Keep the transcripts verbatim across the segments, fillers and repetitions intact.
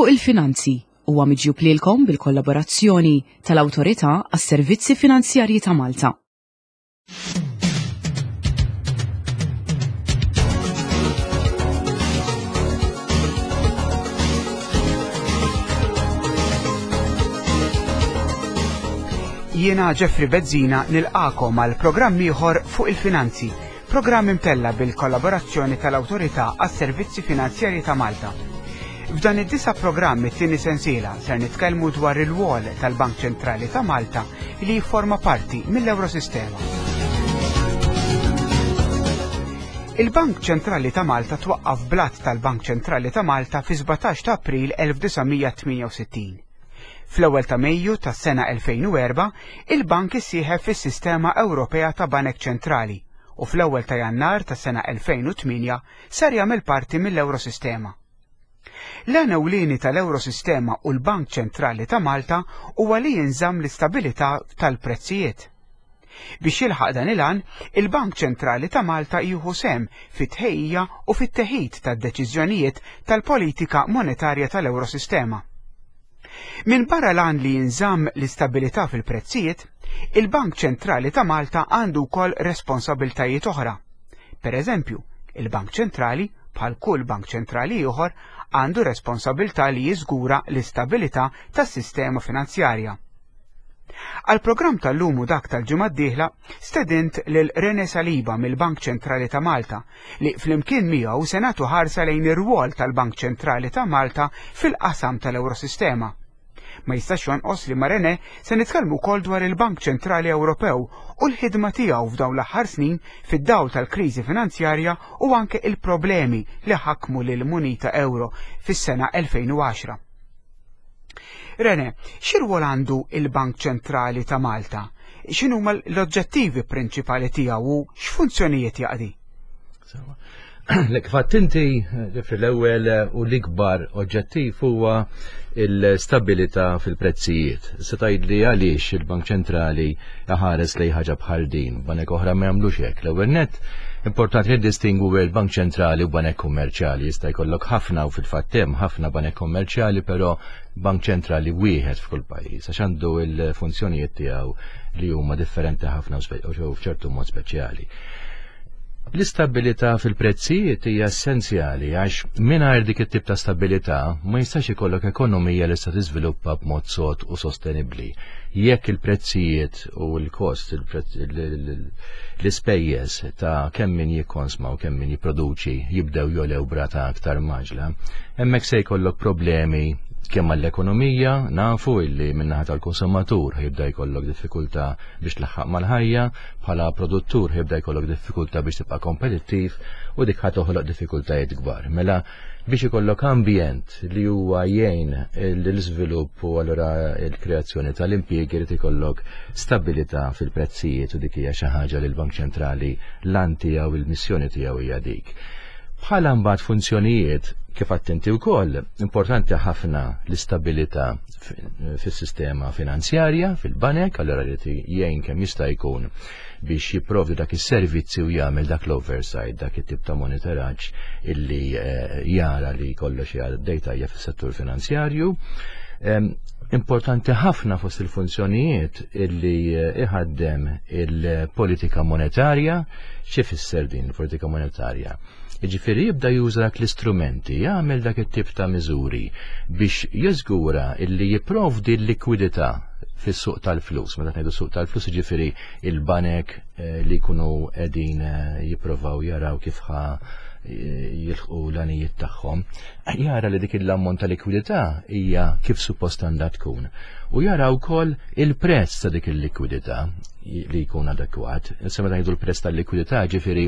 Fuq il-Finanzi huwa miġjub lilkom bil-kollaborazzjoni tal-Awtorità għas-Servizzi Finanzjarji ta' Malta. Jiena Jeffrey Bezzina nilqakom għal programm ieħor fuq il-finanzi, programm imtella bil-kollaborazzjoni tal-Awtorità għas-Servizzi Finanzjarji ta' Malta. F'dan id-disa' programm it-tieni sensiela ser nitkellmu dwar il-wol tal-Bank Ċentrali ta' Malta li jifforma parti mill-Eurosistema. Il-Bank Ċentrali ta' Malta twaqqaf blat tal-Bank Ċentrali ta' Malta fi sbatax ta' April elf disa' mija tmienja u sittin. Fl-ewwel ta' Mejju tas-sena elfejn u erba', il-bank issieħeb fis-Sistema Ewropea ta' Banek Ċentrali u fl-ewwel ta' Jannar tas-sena elfejn u tmienja sar jagħmel parti mill-Eurosistema. L-għan ewlieni tal-Eurosistema u l-Bank Ċentrali ta' Malta huwa li jinżamm l-istabilità tal-prezzijiet. Biex jilħaq dan il-għan, il-Bank Ċentrali ta' Malta jieħu sehem fit-tħejjija u fit-teħid tad-deċiżjonijiet tal-politika monetarja tal-Eurosistema. Min barra l-għan li jinżamm l-istabilità fil-prezzijiet, il-Bank Ċentrali ta' Malta għandu wkoll responsabiltajiet oħra. Per eżempju, il-Bank Ċentrali, bħal kull bank ċentrali ieħor, għandu responsabilità li jiżgura l-istabilità tas-sistema finanzjarja. Għal-programm tal-lum u dak tal-ġimgħa d-dieħla stedint lil René Saliba mill-Bank Ċentrali ta' Malta li flimkien miegħu se nagħtu ħarsa lejn ir-rwol tal-Bank Ċentrali ta' Malta fil-qasam tal-Eurosistema. Ma jistax jonqos li ma' René se nitkellmu wkoll dwar il-Bank Ċentrali Ewropew u l-ħidma tiegħu f'dawn l-aħħar snin fid-dawl tal-kriżi finanzjarja u anke il-problemi li ħakmu lil munita euro fis-sena elfejn u għaxra. René, x'irwol għandu il-Bank Ċentrali ta' Malta? X'inhuma l-oġġettivi prinċipali tiegħu u x'funzjonijiet jaqdi? Sewa. Lek fatt inti, Jeffrey, l-ewwel u l-ikbar oġġettiv huwa l-stabilità fil-prezzijiet. Se tgħidli għaliex il-Bank Ċentrali ħares lejn ħaġa bħal din, banek oħra ma jagħmlux hekk. L-ewwel nett importanti li distingwu bejn il-Bank Ċentrali u banek kummerċjali. Jista' jkollok ħafna u fil-fatt hemm ħafna banek kummerċjali, però Bank Ċentrali wieħed f'kull pajjiż għax għandu l-funzjonijiet tiegħu li huma differenti ħafna u spe-, u f'ċertu mod speċjali. L-istabilità fil-prezzijiet hija essenzjali għax mingħajr dik it-tip ta' stabilità ma jistax ikollok ekonomija li se tiżviluppa b'mod sod u sostenibbli. Jekk il-prezzijiet u l-kost, il-prezz-, il-, il-, il-, l-ispejjeż ta' kemm min jikkonsma u kemm min jipproduċi jibdew jolew brata aktar maġla, hemmhekk se jkollok problemi kemm għall-ekonomija, nafu illi min-naħa tal-konsumatur ħibda jkollok diffikultà biex tlaħħaq mal-ħajja, bħala produttur ħibda jkollok diffikultà biex tibqa' kompetittiv u dik ħa toħloq diffikultajiet kbar. Mela biex ikollok ambjent li huwa jgħin l-iżvilupp u allura l-kreazzjoni tal-impjiegi irid ikollok stabilità fil-prezzijiet u dik hija xi ħaġa li l-Bank Ċentrali l-għan tiegħu il-missjoni tiegħu hija dik. Bħala mbagħad funzjonijiet kif attenti wkoll, importanti ħafna l-istabilità fi-, fis-sistema finanzjarja, fil-banek, allura li jgħin kemm jista' jkun biex jipprovdi dak is-servizzi u jagħmel dak l-oversight, dak it-tip ta' monitoraġġ illi, eh, jara li kollox jgħaddej tajjeb fis-settur finanzjarju. Em, importanti ħafna fost il-funzjonijiet illi, eh, iħaddem il-politika monetarja. Xi fisser din il-politika monetarja? Jiġifieri jibda juża dak l-istrumenti, jagħmel dak it-tip ta' miżuri biex jiżgura illi jipprovdi l-likwidità fis-suq tal-flus. Meta ngħidu suq tal-flus, jiġifieri il-banek, eh, li jkunu qegħdin, eh, jippruvaw jaraw kif ħa, eh, jilħqu l-għanijiet tagħhom, jara li dik l-ammont ta' likwidità hija kif suppost għandha tkun. U jara wkoll il-prezz ta' dik il-likwidità li jkun adekwat. Issa meta ngħidu l-prezz tal-likwidità, ġifieri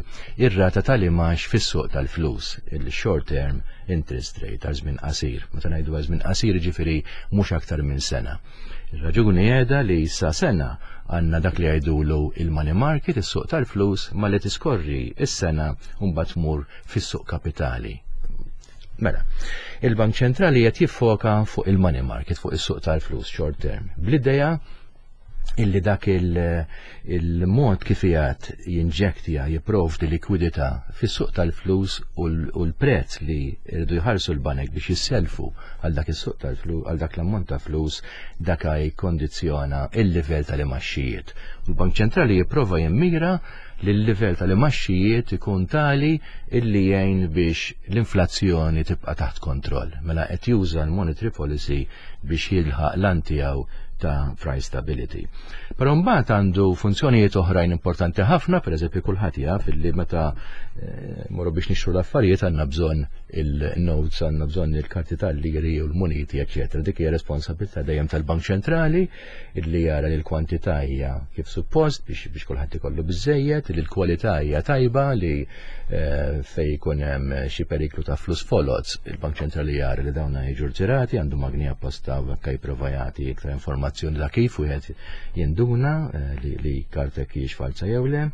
ir-rata tal-imax fis-suq tal-flus, il-short term interest rate għal żmien qasir. Meta ngħidu għal żmien qasir, ġifieri mhux aktar minn sena. Ir-raġuni qiegħda li sa sena għandna dak li jgħidulu il-money market, is-suq tal-flus, ma li tiskorri is-sena u mbagħad tmur fis-suq kapitali. Mela, il-Bank Ċentrali qed jiffoka fuq il-money market, fuq is-suq tal-flus short term, bl-idea Illi dak il-mod kif jgħat jinġektja, jipprovdi likwidità fis-suq tal-flus u l-prezz li rridu jħarsu l-banek biex jisselfu għal dak is-suq tal-flus, għal dak l-ammont ta' flus, dak jikkondizzjona il-livell tal-imgħaxxijiet. U l-Bank Ċentrali jipprova jimmira li l-livell tal-imgħaxxijiet ikun tali illi jgħin biex l-inflazzjoni tibqa' taħt kontroll. Mela qed juża l-monetary policy biex jilħaq l-għan tiegħu ta' price stability. Però mbagħad għandu funzjonijiet oħrajn importanti ħafna. Pereżempju, kulħadd jaf illi meta eh, morru biex nixtru l-affarijiet għandna bżonn il-notes, għandna bżonn il-karti tal-liri u l-muniti, eċetera. Dik hija responsabilità dejjem tal-Bank Ċentrali illi jara li l-kwantità hija kif suppost biex biex kulħadd ikollu biżejjed, li l-kwalità hija tajba, li eh, fej jkun hemm xi periklu ta' flus foloz, il-Bank Ċentrali jara li dawna jiġu rtirati, għandu magni apposta u hekk jipprova jagħti iktar informazzjoni ta' kif wieħed jinduna eh, li, li kartek hijiex falsa jew le.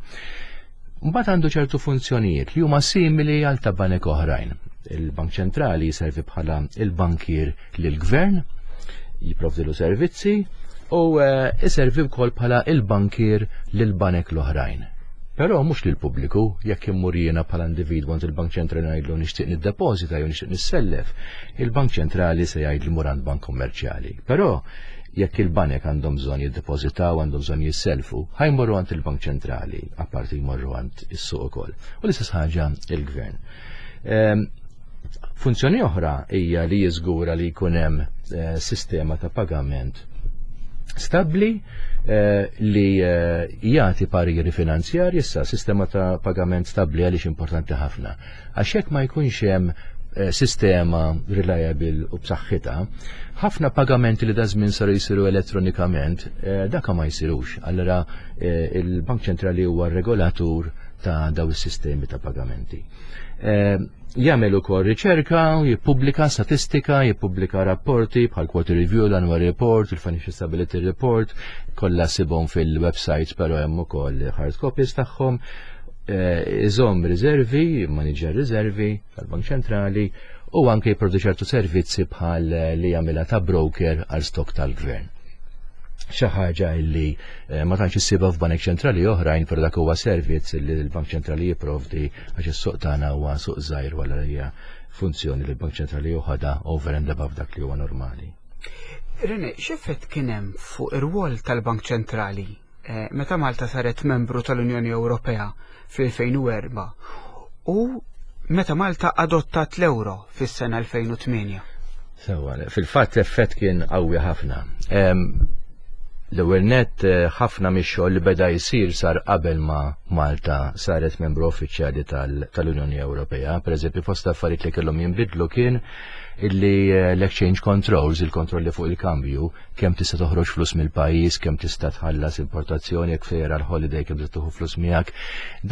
Mbagħad għandu ċertu funzjonijiet li huma simili għal ta' banek oħrajn. Il-Bank Ċentrali jiservi bħala il-bankier lill-gvern, jipprovdilu servizzi u jiservi wkoll bħala il-bankier lil banek l-oħrajn. Però mhux lil pubbliku. Jekk immur jiena bħala individwu għand il-Bank Ċentrali ngħidlu nixtieq niddepożita jew nixtieq nissellef, il-Bank Ċentrali se jgħid li mur għand bank kummerċjali. Però jekk il-banek għandhom bżonn jiddepożitaw, għandhom bżonn jisselfu, ħa jmorru għand il-Bank Ċentrali, apparti jmorru għand is-suq ukoll. U l-istess ħaġa il-gvern. Ehm, funzjoni oħra hija li jiżgura li jkun hemm eh, sistema ta' pagament stabli eh, li eh, jagħti pariri finanzjarji. Issa, sistema ta' pagament stabli għaliex importanti ħafna? Għax jekk ma jkunx hemm eh, sistema reliable u b'saħħitha, ħafna pagamenti li daż-żmien saru jsiru elettronikament, daka ma jsirux. Allora il-Bank Ċentrali huwa regolatur ta' daw is-sistemi ta' pagamenti. Jagħmel ukoll riċerka, jippubblika statistika, jippubblika rapporti bħal Quarter Review, l-Annual Report, il-Financial Stability Report, kollha ssibhom fil-websites, però hemm ukoll hard copies tagħhom. Iżomm riservi, manager riservi tal-Bank Ċentrali u anke jipproduċi ċertu servizzi bħal li jagħmilha ta' broker għal stock tal-gvern. Xi ħaġa illi eh, ma tantx issibha f'banek ċentrali oħrajn, però dak huwa servizz li l-Bank Ċentrali jipprovdi għax is-suq tagħna huwa suq żgħir, wara hija funzjoni li l-Bank Ċentrali joħodha over and above dak li huwa normali. Rene, x'effett kien hemm fuq ir-rwol tal-Bank Ċentrali eh, meta Malta saret membru tal-Unjoni Ewropea fl-elfejn u erbgħa u meta Malta adottat l-euro fis-sena elfejn u tmienja? Sewa, fil-fatt effett kien qawwi ħafna. L-ewwel net, eh, ħafna mix-xogħol li beda jsir sar qabel ma Malta saret membru uffiċjali tal-Unjoni Ewropea. Pereżempju, fost affarijiet li kellhom jinbidlu kien illi eh, l-exchange controls, il-kontrolli fuq il-kambju, kemm tista' toħroġ flus mill-pajjiż, kemm tista' tħallas importazzjoni, jekk sejjer għal holiday kemm tista' tieħu flus miegħek.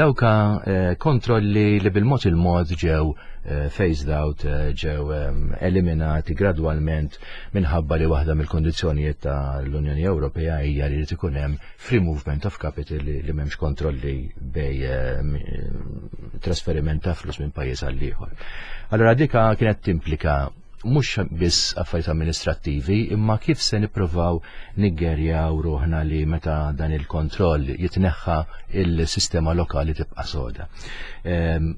Dawka eh, kontrolli li bil-mod il-mod ġew eh, phased out, ġew eliminati gradwalment minħabba li waħda mill-kondizzjonijiet tal-Unjoni Ewropea hija li jrid ikun hemm free movement of capital, li, li m'hemmx kontrolli bej trasferiment ta' flus minn pajjiż għal ieħor. Allora dika kienet timplika mhux biss affarijiet amministrattivi, imma kif se nippruvaw niggerjaw ruħna li meta dan il-kontroll jitneħħa, il-sistema lokali tibqa' soda. Ehm,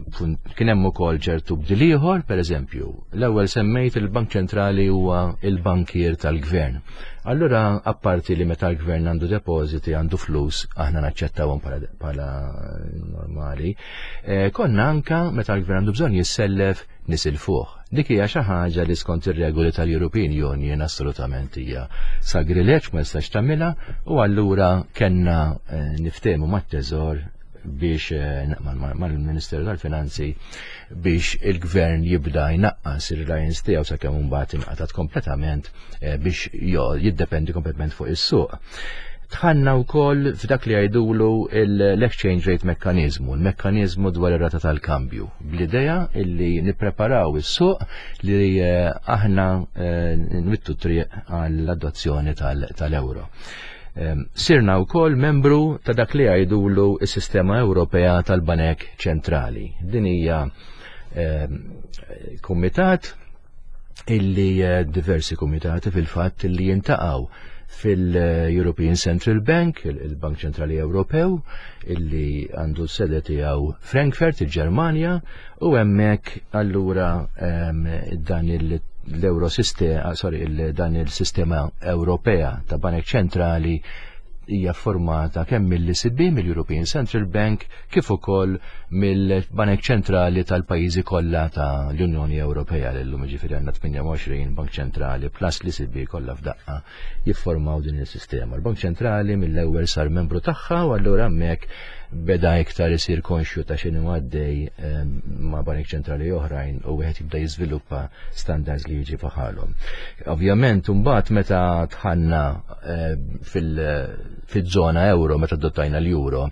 kien hemm ukoll ċertu bdil ieħor, pereżempju, l-ewwel semmejt il-Bank Ċentrali huwa il-bankier tal-gvern. Allura, apparti li meta l-gvern għandu depositi, għandu flus, aħna naċċettawhom bħala normali, eh, konna anka meta l-gvern għandu bżonn jissellef nisilfuh. Dik hija xi ħaġa li skont ir-regoli tal-European Union assolutament hija sagrileġġ, ma jistax tagħmilha, u allura kellna eh, niftehmu mat-Teżor biex eh, mal-Ministeru tal-Finanzi biex il-gvern jibda jnaqqas ir-reliance tiegħu sakemm imbagħad inqatat kompletament eh, biex jiddependi kompletament fuq is-suq. Dħalna wkoll f'dak li jgħidulu l-exchange rate mechanism, il-mekkanizmu dwar ir-rata tal-kambju, bl-idea illi nippreparaw is-suq li eh, aħna nwittu triq għall-adozzjoni tal-euro. Sirna wkoll membru ta' dak li jgħidulu s-sistema Ewropea tal-Banek Ċentrali. Din hija kumitat illi eh, diversi komitati fil-fatt illi jiltaqgħu fil-European Central Bank, il-Bank Ċentrali Ewropew, illi għandu sede tiegħu Frankfurt, il-Ġermanja, u hemmhekk allura dan l-Euro sistema, sorry, dan il-sistema Ewropea ta' Banek Ċentrali hija formata kemm mill-E C B, mill-European Central Bank, kif ukoll mill-Banek Ċentrali tal-pajjiżi kollha ta' l-Unjoni Ewropea. L-lum ġifieri għandna tmienja u għoxrin Bank Ċentrali plus l-E C B kollha f'daqqa jiffurmaw din il-sistema. Il-Bank Ċentrali mill-ewwel sar membru tagħha u allura hemmhekk beda iktar isir konxju ta' x'inhu għaddej ehm, ma' banek ċentrali oħrajn u wieħed jibda jiżviluppa standards li jiġi bħalhom. Ovvjament, mbagħad meta dħalna eh, fil-żona euro, meta adottajna l-euro,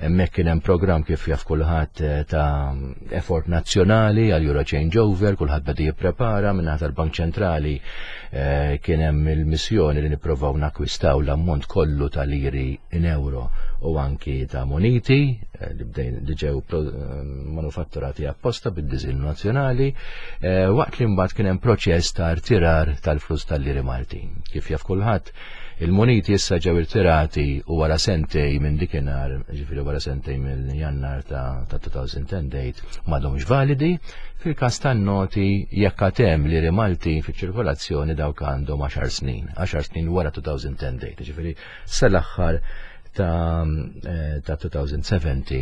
hemmhekk kien hemm programm, kif jaf kulħadd, eh, ta' effort nazzjonali għal Euro Changeover, kulħadd beda jipprepara. Minn tal-Bank Ċentrali eh, kien hemm il-missjoni li nippruvaw nakwistaw l-ammont kollu tal-liri in euro u anki ta' moniti eh, li bdejn li ġew manufatturati apposta bid-diżinn nazzjonali, waqt li mbagħad kien hemm proċess ta' rtirar tal-flus tal-liri Maltin. Kif jaf kulħadd, il-moniti issa ġew irtirati u wara sentejn minn dikinhar, ġifieri wara sentejn minn Jannar ta' elfejn u għaxra, m'għadhomx validi. Fil-każ tan-noti, jekk hemm liri Malti fiċ-ċirkolazzjoni, dawk għandhom għaxar snin, għaxar snin wara elfejn u għaxra, ġifieri sal-aħħar ta' eh, ta' elfejn u sbatax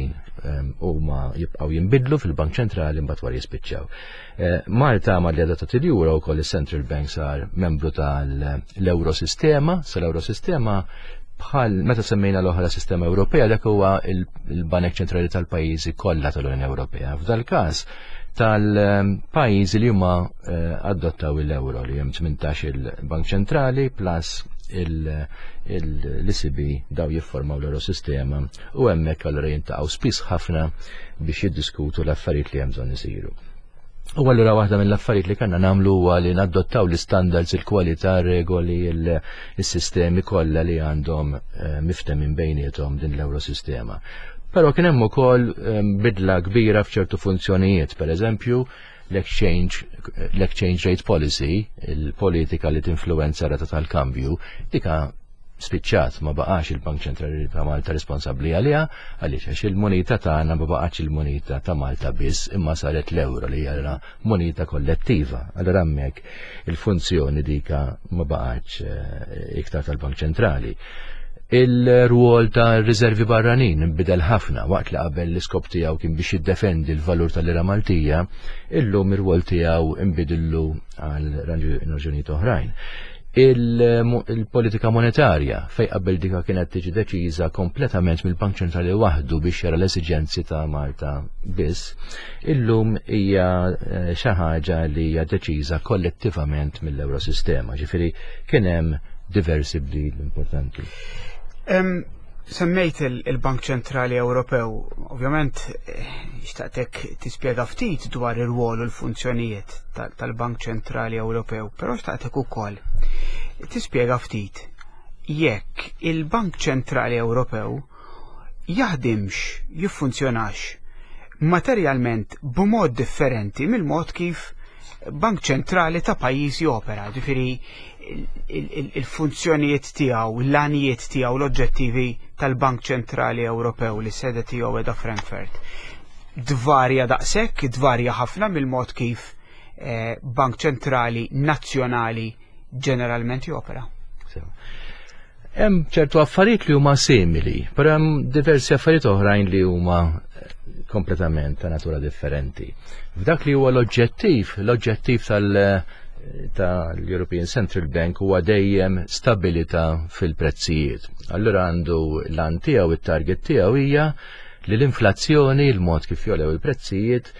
huma jibqgħu jinbidlu fil-Bank Ċentrali, mbagħad wara jispiċċaw. Eh, Malta ma li adottat il-Euro wkoll, il-Central Bank sar membru tal-Eurosistema, sal-Eurosistema bħal meta semmejna l-oħra sistema Ewropea, dak huwa il-Banek Ċentrali tal-pajjiżi kollha tal-Unjoni Ewropea. F'dal każ tal-pajjiżi li huma eh, adottaw il-euro, li hemm tmintax il-Bank Ċentrali plus l-E C B, daw jiffurmaw l-Eurosistema u hemmhekk allura jiltaqgħu spiss ħafna biex jiddiskutu l-affarijiet li hemm bżonn isiru. U allura waħda mill-affarijiet li kellna nagħmlu huwa li nadottaw l-standards, il-kwalità, regoli, il-sistemi kollha li għandhom eh, miftemin bejniethom din l-Eurosistema. Però kien hemm ukoll eh, bidla kbira f'ċertu funzjonijiet, per eżempju l-exchange l-exchange rate policy, il-politika li tinfluwenza rata tal-kambju, dika spiċċat, ma baqax il-Bank Ċentrali ta' Malta responsabbli għaliha. Għaliex? Għax il-moneta tagħna ma baqax il-moneta ta' Malta biss, imma saret l-euro li hija moneta kollettiva. Allura hemmhekk il-funzjoni dika ma baqax eh, iktar tal-Bank Ċentrali. Il-rwol ta' riservi barranin nbidel ħafna. Waqt li qabel l-iskop tiegħu kien biex jiddefendi l-valur tal-lira Maltija, illum ir-rwol tiegħu nbidillu għal raġunijiet oħrajn. Il-politika monetarja, fej qabel dika kienet tiġi deċiża kompletament mill-Bank Ċentrali waħdu biex jara l-esiġenzi ta' Malta biss, illum hija eh, xi ħaġa li hija deċiża kollettivament mill-Eurosistema. Ġifieri kien hemm diversi bdil importanti. Semmejt il-Bank Ċentrali Ewropew, ovvjament eh, xtaqtek tispjega ftit dwar ir-rwol u l-funzjonijiet tal-Bank Ċentrali Ewropew, però xtaqtek ukoll tispjega ftit jekk il-Bank Ċentrali Ewropew jaħdimx, jiffunzjonax materjalment b'mod differenti mill-mod kif Bank Ċentrali ta' pajjiż jopera, ġifieri il-funzjonijiet tiegħu, l-għanijiet tiegħu, l-oġġettivi tal-Bank Ċentrali Ewropew li sede tiegħu qiegħda Frankfurt. Dvarja daqshekk, dvarja ħafna mill-mod kif eh, Bank Ċentrali nazzjonali ġeneralment jopera. Hemm ċertu affarijiet li huma simili, però hemm diversi affarijiet oħrajn li huma kompletament ta' natura differenti. F'dak li huwa l-oġġettiv, l-oġġettiv tal- tal-European Central Bank huwa dejjem stabilità fil-prezzijiet. Allura għandu l-għan tiegħu, it-target tiegħu hija li l-inflazzjoni, il-mod kif jogħlew il-prezzijiet,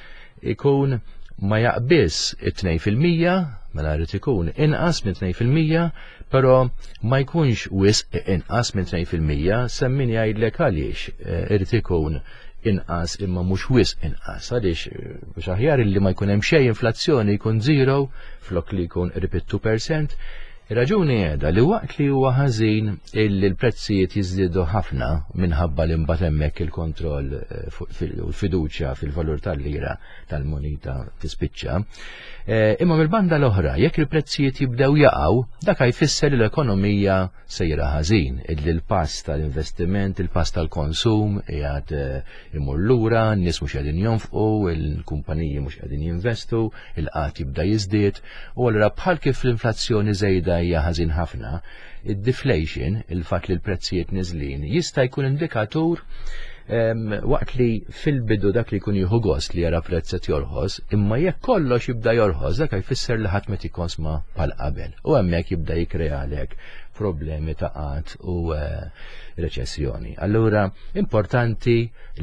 ikun ma jaqbiż it-tnejn fil-mija, mela jrid ikun inqas minn tnejn fil-mija, però ma jkunx wisq inqas minn tnejn fil-mija. Semmin jgħidlek għaliex eh, irid ikun inqas imma mhux wisq inqas, għaliex eh, biex aħjar illi ma jkun hemm xejn inflazzjoni, jkun zero flok li jkun qrib it-two percent. Ir-raġuni qiegħda li waqt li huwa ħażin illi l-prezzijiet jiżdiedu ħafna minħabba li mbagħad hemmhekk il-kontroll eh, fuq fil- u l-fiduċja fil-valur tal-lira tal-monita tispiċċa. Eh, Imma mill-banda l-oħra, jekk il-prezzijiet jibdew jaqgħu, dak jfisser li l-ekonomija sejra ħażin, illi l-pass tal-investiment, il-pass tal-konsum qiegħed eh, imur lura, n-nies mhux qegħdin jonfqu, il-kumpaniji mhux qegħdin jinvestu, il-qgħad jibda jiżdied, u allura bħal kif l-inflazzjoni żejda hija ħażin ħafna, id-deflation, il-fatt li l-prezzijiet niżlin, jista' jkun indikatur em, waqt li fil-bidu dak li jkun jieħu gost li jara prezz qed jorħos, imma jekk kollox jibda jorħos, dak jfisser li ħadd ma jikkonsma bħal qabel. U hemmhekk jibda jikkrealek problemi ta' qgħad u eh, reċessjoni. Allura, importanti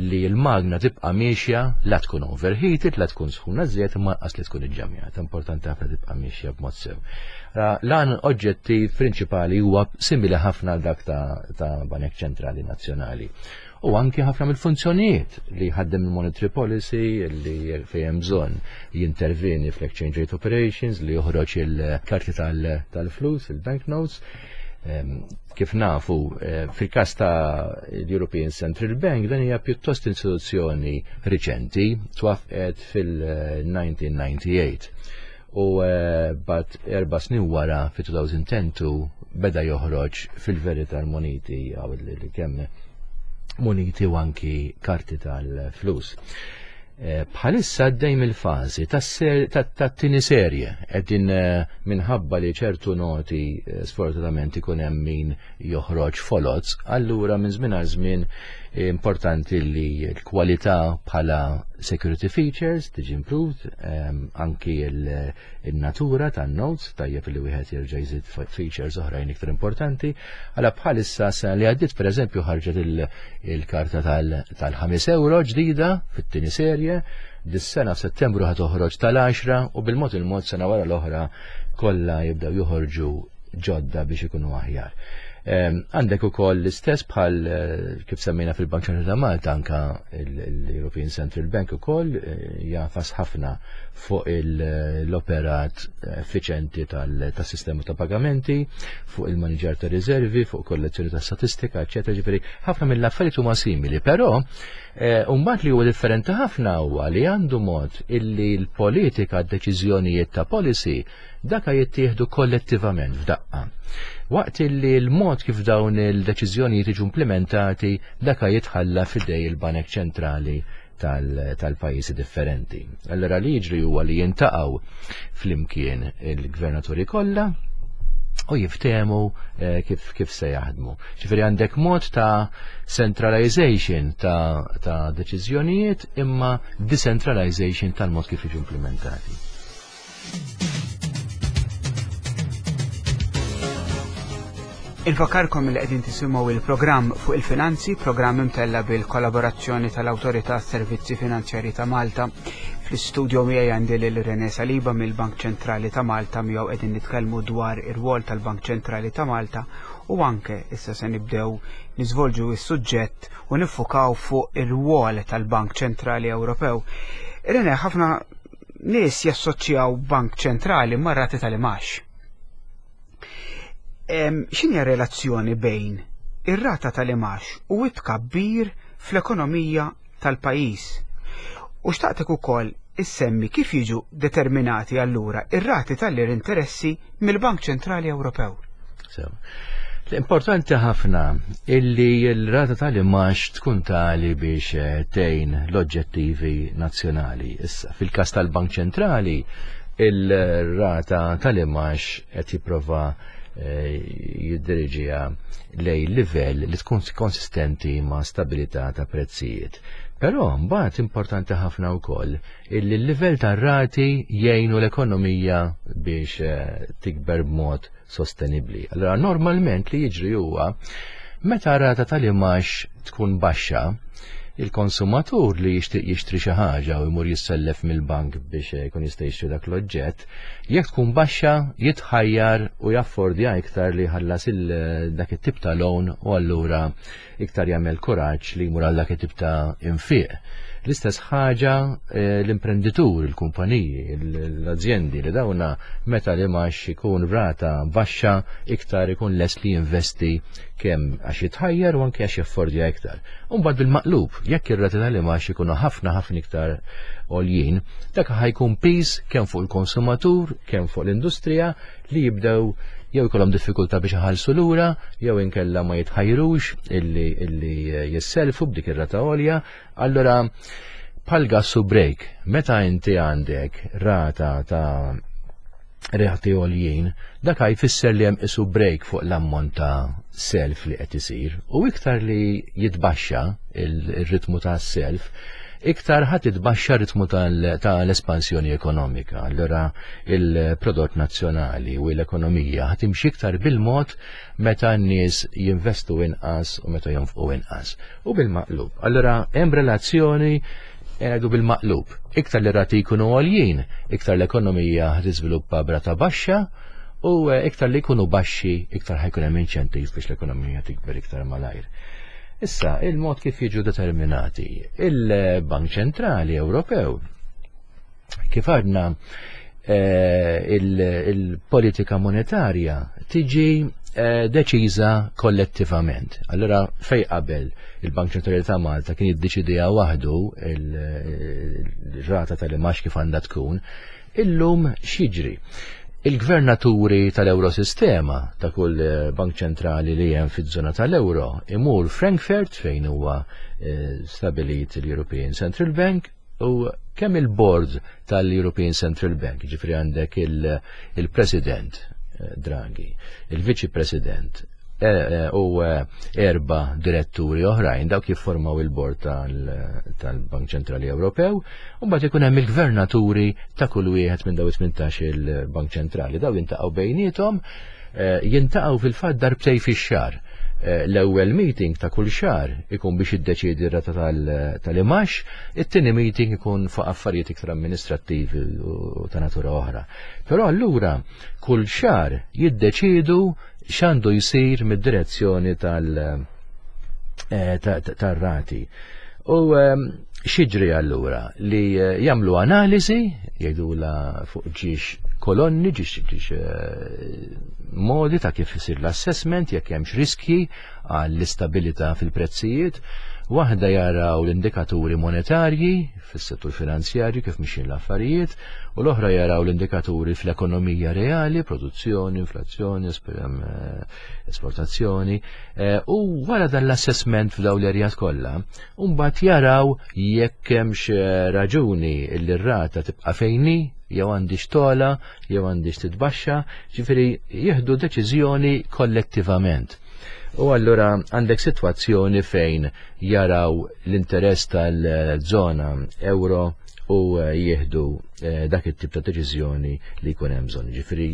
li l-magna tibqa' miexja, la tkun overheated, la tkun sħuna żejjed, imma lanqas li tkun iġġamjata. Importanti ħafna tibqa' miexja b'mod sew. L-għan oġġettiv prinċipali huwa simili ħafna għal dak ta', ta Banek Ċentrali Nazzjonali. U anki ħafna mill-funzjonijiet li ħaddem il-monetary policy, li fejn hemm bżonn jinterveni fl-exchange rate operations, li joħroġ il-karti tal-flus, il-banknotes. Kif nafu, eh, fil-kas ta' l-European Central Bank, dan hija pjuttost istituzzjoni riċenti, twaqqfet fil-elf disa' mija u disgħa u disgħin. U eh, bat erba' snin wara fi elfejn u għaxra beda joħroġ fil-verità l-moniti għaw li kemm moniti u anki karti tal-flus. Eh, bħalissa għaddejn il-fazi tat-tieni serje, qegħdin eh, minħabba li ċertu noti eh, sfortunatament ikun hemm min joħroġ foloz, allura minn żmien għal żmien importanti li l-kwalità bħala security features tiġi improved, anki il-natura tan-notes, tajjeb li wieħed jerġa' jżid features oħrajn iktar importanti. Għala bħalissa sena li għaddiet, pereżempju, ħarġet il-karta tal-ħames euro ġdida fit-tieni serje, dis-sena f'Settembru ħa toħroġ tal-għaxra u bil-mod il-mod sena wara l-oħra kollha jibdew joħorġu ġodda biex ikunu aħjar. Għandek ukoll l-istess bħal eh, kif semmejna fil-Bank Ċentrali ta' Malta, anka l-European Central Bank ukoll eh, jagħfas ħafna fuq l-operat effiċenti tas-sistema ta' pagamenti, fuq il-maniġar ta' riservi, fuq kollezzjoni ta' statistika, eċetera. Ġifieri ħafna mill-affarijiet huma simili, però eh, mbagħad li huwa differenti ħafna huwa li għandu mod illi l-politika, d-deċiżjonijiet ta' policy daka jittieħdu kollettivament f'daqqa. Waqt li l-mod kif dawn il-deċiżjonijiet jiġu implementati daka jitħalla f'idejn il-Banek Ċentrali tal-pajjiżi differenti. Allora li jiġri huwa li jiltaqgħu flimkien il-gvernaturi kollha u jiftehmu eh, kif, kif se jaħdmu. Ġifieri għandek mod ta' centralization ta', ta deċiżjonijiet imma decentralization tal-mod kif jiġu implementati. Infakkarkom li qegħdin tisimgħu il-programm Fuq il-Finanzi, programm imtella bil-kollaborazzjoni tal-Awtorità Servizzi Finanzjari ta' Malta. Fl-istudio miegħi għandi lil René Saliba mill-Bank Ċentrali ta' Malta, miegħu qegħdin nitkellmu dwar ir-rwol tal-Bank Ċentrali ta' Malta u anke issa se nibdew niżvolġu is-suġġett u niffukaw fuq ir-rwol tal-Bank Ċentrali Ewropew. René, ħafna nies jassoċjaw Bank Ċentrali mar-rati tal-imgħax. X'inhi relazzjoni bejn ir-rata tal-imgħax u t-tkabbir fl-ekonomija tal-pajjiż? U xtaqtek ukoll issemmi kif jiġu determinati allura ir-rati tal-interessi mill-Bank Ċentrali Ewropew. So, l-importanti ħafna illi l-rata tal-imgħax tkun tali biex eh, tgħin l-oġġettivi nazzjonali. Issa, fil-każ tal-Bank Ċentrali, il-rata tal-imgħax qed jipprova eh, jiddiriġiha lejn livell li tkun konsistenti ma' stabilità ta' prezzijiet. Però mbagħad importanti ħafna wkoll illi l-livell tar-rati jgħinu l-ekonomija biex eh, tikber b'mod sostenibbli. Allora normalment li jiġri huwa meta rata tal-imgħax tkun baxxa, il-konsumatur li jixtieq jixtri xi ħaġa u jmur jissellef mill-bank biex jkun jista' jixtri dak l-oġġett, jekk tkun baxxa jitħajjar u jaffordja iktar li jħallas dak it-tip ta' loan u allura iktar jagħmel kuraġġ li jmur għal dak it-tip ta' infiq. L-istess ħaġa eh, l-imprenditur, il-kumpaniji, l-azjendi li dawna meta l-imgħax ikun rata baxxa iktar ikun lest li jinvesti kemm għax jitħajjar u anke għax jaffordja iktar. Umbagħad bil-maqlub, jekk ir-rati tal-imgħax ikunu ħafna ħafna iktar għoljin, dak ħa jkun piż kemm fuq il-konsumatur, kemm fuq l-industrija li jibdew jew ikollhom diffikultà biex iħallsu lura, jew inkella ma jitħajrux illi illi jisselfu b'dik ir-rata għolja. Allura bħal gas u brake, meta inti għandek rata ta' rati għoljin, dak jfisser li hemm isu brake fuq l-ammont ta' self li qed isir u iktar li jitbaxxa il-ritmu ta' self, iktar ħa titbaxxa ritmu tal-espansjoni ekonomika. Allura il-prodott nazzjonali u l-ekonomija ħa timxi iktar bil-mod meta n-nies jinvestu inqas u meta jonfqu inqas. U bil-maqlub. Allura hemm relazzjoni ngħidu bil-maqlub. Iktar li rati jkunu għoljin, iktar l-ekonomija tiżviluppa b'rata baxxa u iktar li jkunu baxxi, iktar ħa jkun hemm inċentiv biex l-ekonomija tikber iktar malajr. Issa, il-mod kif jiġu determinati, il-Bank Ċentrali Ewropew, kif għadna eh, il-politika monetarja tiġi eh, deċiża kollettivament. Allora, fej qabel il-Bank Ċentrali ta' Malta kien jiddeċidija waħdu il-rata tal-imgħax kif għandha tkun, illum x'jiġri? Il-gvernaturi tal-Eurosistema ta' kull eh, bank ċentrali li hemm fiż-żona tal-Euro imur Frankfurt fejn huwa eh, stabilit l-European Central Bank u kemm il-board tal-European Central Bank, ġifri għandek il-President eh, Draghi, il-Viċi President u erba diretturi oħrajn dawk jiffurmaw il-bord tal-Bank Ċentrali Ewropew, u mbagħad ikun hemm il-gvernaturi ta' kull wieħed minn daw tmintax il-Bank Ċentrali. Daw jintaqgħu bejniethom, jintaqgħu fil-fatt darbtej fix-xahar. L-ewwel meeting ta' kull xahar ikun biex iddeċiedi r-rata tal-imgħax, it-tieni meeting ikun fuq affarijiet iktar amministrattivi u ta' natura oħra. Però allura kull xahar jiddeċidu x'għandu jsir mid-direzzjoni tal-rati. U x'jiġri allura li jagħmlu analiżi, jgħidula fuq ġiex kolonni, ġiex ġiex modi ta' kif isir l-assessment, jekk hemmx riskji għall-istabilità fil-prezzijiet. Waħda jaraw l-indikaturi monetarji fis-settur finanzjarju kif mixin l-affarijiet, u l-oħra jaraw l-indikaturi fl-ekonomija reali, produzzjoni, inflazzjoni, esportazzjoni, u wara dan l-assessment f'dawn l-erjat kollha, mbagħad jaraw jekk hemmx raġuni li r-rata tibqa' fejni, jew għandix tola, jew għandix titbaxxa, ġifieri jieħdu deċiżjoni kollettivament. U allura għandek sitwazzjoni fejn jaraw l-interess tal-żona euro u jieħdu dak it-tip ta' deċiżjoni li jkun hemm bżonn. Ġifieri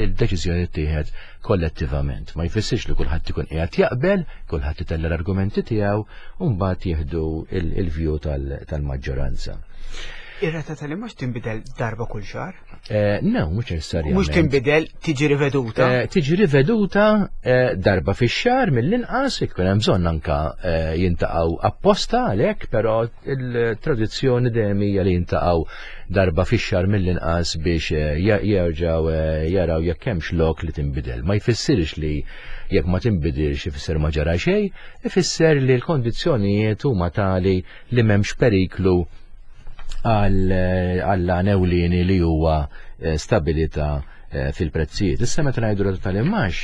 il-deċiżjoni ttieħed kollettivament. Ma jfissirx li kulħadd ikun qiegħed jaqbel, kulħadd itella l-argumenti tiegħu u mbagħad jieħdu il-view tal-maġġoranza. Ir-rata tal-imgħax tinbidel darba kull xahar? No, mhux neċessarjament. Mhux tinbidel, tiġi riveduta? Tiġi riveduta darba fix-xahar mill-inqas, ikun hemm bżonn anka jintaqgħu apposta għalhekk, però il-tradizzjoni dejjem hija li jintaqgħu darba fix-xahar mill-inqas biex jerġgħu jaraw jekk hemmx lok li tinbidel. Ma jfissirx li jekk ma tinbidilx ifisser ma ġara xejn, ifisser li l-kondizzjonijiet huma tali li m'hemmx periklu għall-għan ewlieni li huwa stabilità fil-prezzijiet. Issa meta ngħidu rata tal-imgħax,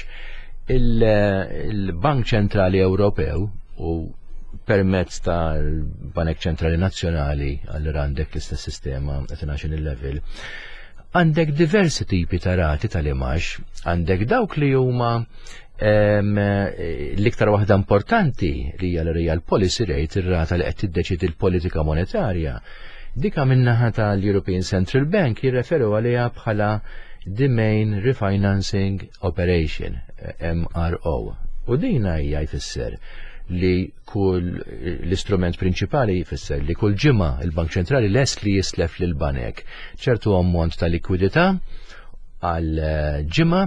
il-Bank Ċentrali Ewropew u permezz tal-Banek Ċentrali Nazzjonali, allura għandek l-istess sistema at national level, għandek diversi tipi ta' rati tal-imgħax, għandek dawk li huma l-iktar waħda importanti li hija l-real policy rate, ir-rata li qed tiddeċidi l-politika monetarja. Dika min-naħa tal-European Central Bank jirreferu għaliha bħala the Main Refinancing Operation, M R O. U dina hija jfisser li kull l-istrument prinċipali jfisser li kull ġimgħa il-Bank Ċentrali lest li jislef lil banek ċertu ammont ta' likwidità għal ġimgħa,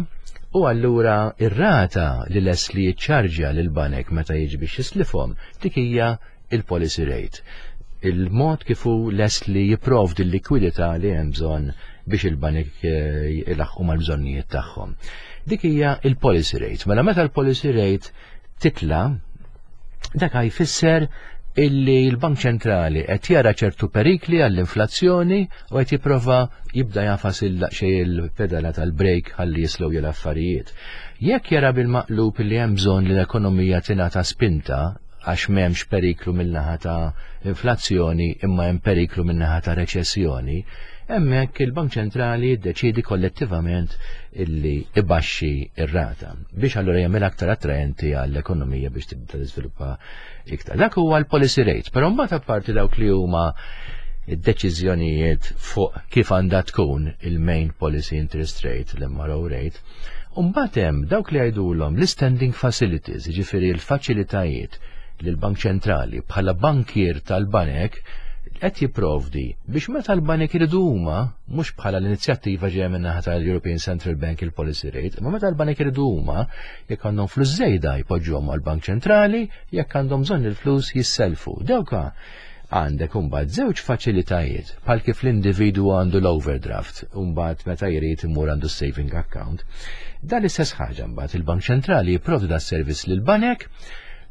u allura ir-rata li lest li jiċċarġja lil banek meta jiġi biex jislifhom dik hija il-policy rate. il-mod kif hu lest li jipprovdi l-likwidità li hemm bżonn biex il-banek ilaħħqu mal-bżonnijiet tagħhom. Dik hija il-policy rate. Mela meta l-policy rate titla, dak jfisser illi l-Bank Ċentrali qed jara ċertu perikli għall-inflazzjoni u qed jipprova jibda jagħfas il-xejn il-pedala tal-brake ħalli jislow l-affarijiet. Jekk jara bil-maqlub li hemm bżonn li l-ekonomija tingħata spinta għax m'hemmx periklu min-naħa ta' inflazzjoni imma hemm periklu min-naħa ta' reċessjoni, hemmhekk il-Bank Ċentrali jiddeċiedi kollettivament illi ibaxxi ir-rata biex allura jagħmel aktar attraenti għall-ekonomija biex tibda tiżviluppa iktar. Dak huwa l-policy rate, però mbagħad apparti dawk li huma id-deċiżjonijiet fuq kif għandha tkun il-main policy interest rate, l-M R O rate, mbagħad hemm dawk li jgħidulhom l-standing facilities, jiġifieri l-faċilitajiet li l-Bank Ċentrali bħala bankier tal-banek qed jipprovdi biex meta l-banek iridu huma, mhux bħala l-inizjattiva ġejja min-naħa tal-European Central Bank il-policy rate, imma meta l-banek iridu huma, jekk għandhom flus żejda jpoġġuhom għall-Bank Ċentrali, jekk għandhom bżonn il-flus jisselfu. Dawka għandek imbagħad żewġ faċilitajiet, bħal kif l-individwu għandu l-overdraft, imbagħad meta jrid imur għandu saving account. Dan l-istess ħaġa mbagħad il-Bank Ċentrali jipprovdi da servizz lil banek,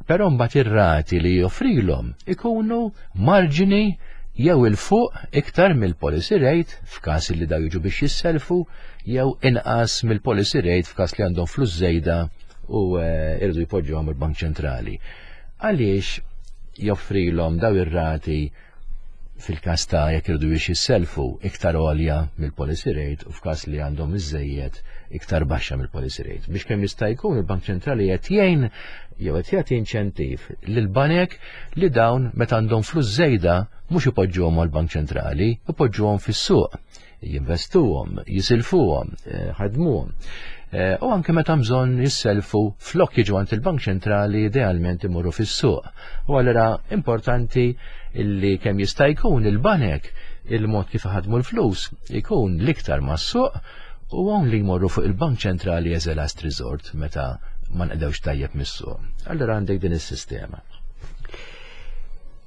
però mbagħad ir-rati li joffrilhom ikunu marġini jew 'il fuq iktar mill-policy rate f'każ li daw jiġu biex jisselfu, jew inqas mill-policy rate f'każ li għandhom flus żejda u eh, irridu jpoġġuhom il-Bank Ċentrali. Għaliex joffrilhom daw ir-rati fil-każ ta' jekk irridu biex jisselfu iktar għolja mill-policy rate u f'każ li għandhom iżejjed iktar baxxa mill-policy rate? Biex kemm jista' jkun il-Bank Ċentrali qed jgħin jew qed jagħti inċentiv lil banek li dawn meta għandhom flus żejda mhux ipoġġuhom għall-Bank Ċentrali, ipoġġuhom fis-suq, jinvestuhom, jisilfuhom, eh, ħadmuhom. Eh, u anke meta bżonn jisselfu, flok jiġu għand il-Bank Ċentrali, idealment imorru fis-suq. U allura importanti illi kemm jista' jkun il-banek il-mod kif ħadmu l-flus ikun l-iktar mas-suq u hawn li jmorru fuq il-Bank Ċentrali as a last resort meta ma nqdewx tajjeb mis-suq. Allura għandek din is-sistema.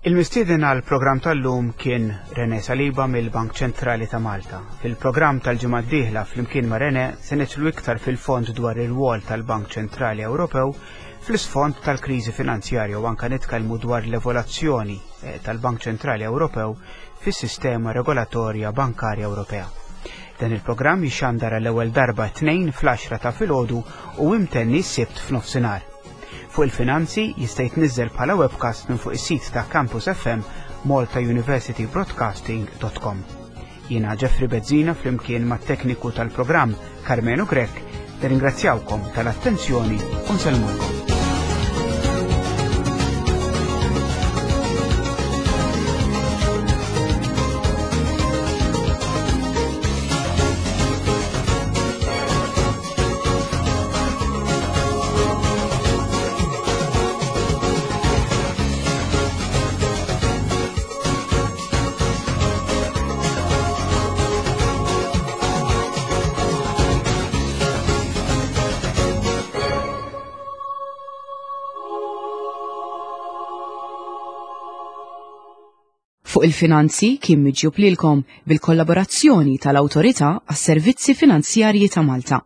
Il-mistieden għal programm tal-lum kien René Saliba mill-Bank Ċentrali ta' Malta. Fil-programm tal-ġimgħa d-dieħla flimkien ma' René se nidħlu iktar fil-fond dwar ir-rwol tal-Bank Ċentrali Ewropew fl-isfond tal-kriżi finanzjarja u anka nitkellmu dwar l-evoluzzjoni eh, tal-Bank Ċentrali Ewropew fis-sistema regolatorja bankarja Ewropea. Dan il-programm jixxandar l-ewwel darba tnejn fl-għaxra ta' filgħodu u imtenni s-Sibt f'nofsinhar. Fuq il-Finanzi jista' jitniżżel bħala webcast minn fuq is-sit ta' Campus F M malta university broadcasting dot com. Jiena Jeffrey Bezzina flimkien mat-tekniku tal-programm Carmenu Grech nirringrazzjawkom tal-attenzjoni u nsellmulkom. Fuq il-Finanzi kien miġjub lilkom bil-kollaborazzjoni tal-Awtorità għas-Servizzi Finanzjarji ta' Malta.